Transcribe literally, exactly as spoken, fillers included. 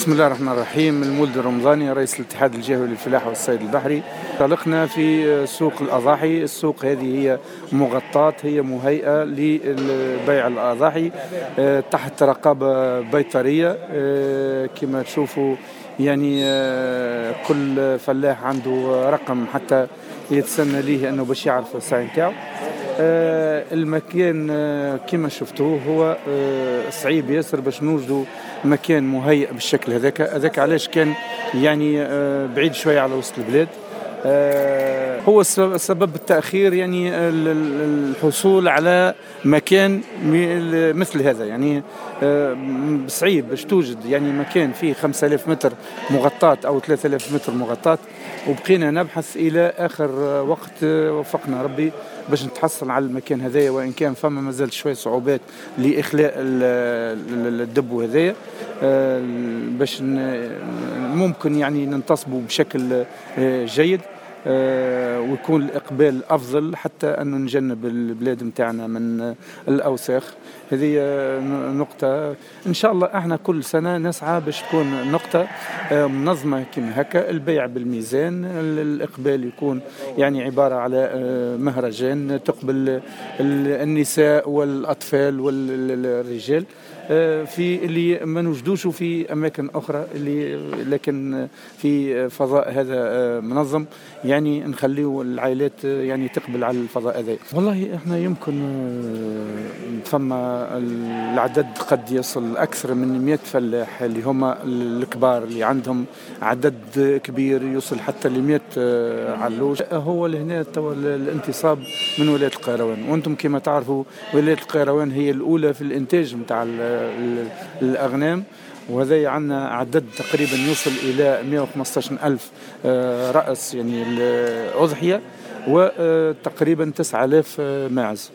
بسم الله الرحمن الرحيم. المولد الرمضاني رئيس الاتحاد الجهوي للفلاحة والصيد البحري. انطلقنا في سوق الأضاحي. السوق هذه هي مغطاة، هي مهيئة لبيع الأضاحي تحت رقابة بيطرية. كما تشوفوا يعني كل فلاح عنده رقم حتى يتسنى ليه أنه باش يعرف السعي نتاعو. المكان كما شفتوه هو صعيب ياسر باش نوجدوا مكان مهيئ بالشكل هذاك. هذاك علاش كان يعني بعيد شوية على وسط البلاد. هو سبب التأخير يعني الحصول على مكان مثل هذا. يعني صعيب باش توجد يعني مكان فيه خمسة آلاف متر مغطاة أو ثلاثة آلاف متر مغطاة، وبقينا نبحث إلى آخر وقت وفقنا ربي باش نتحصل على المكان هذايا، وإن كان فما مازال شوية صعوبات لإخلاء الدب هذايا باش ممكن يعني ننتصبوا بشكل جيد ويكون الإقبال أفضل، حتى أنه نجنب البلاد متاعنا من الأوساخ. هذه نقطة إن شاء الله احنا كل سنة نسعى باش تكون نقطة منظمة كما هكا، البيع بالميزان، الإقبال يكون يعني عبارة على مهرجان تقبل النساء والأطفال والرجال في اللي ما نوجدوش في أماكن أخرى، اللي لكن في فضاء هذا منظم يعني نخليه العائلات يعني تقبل على الفضاء هذا. والله احنا يمكن فما العدد قد يصل أكثر من مئة فلاح اللي هما الكبار اللي عندهم عدد كبير يوصل حتى ل مئة علوش. هو لهنا توا الانتصاب من ولاية القيروان، وانتم كما تعرفوا ولاية القيروان هي الأولى في الإنتاج متاع الأغنام، وهذا عندنا عدد تقريبا يوصل إلى مئة وخمسة عشر ألف رأس يعني الأضحية، وتقريبا تسعة آلاف ماعز.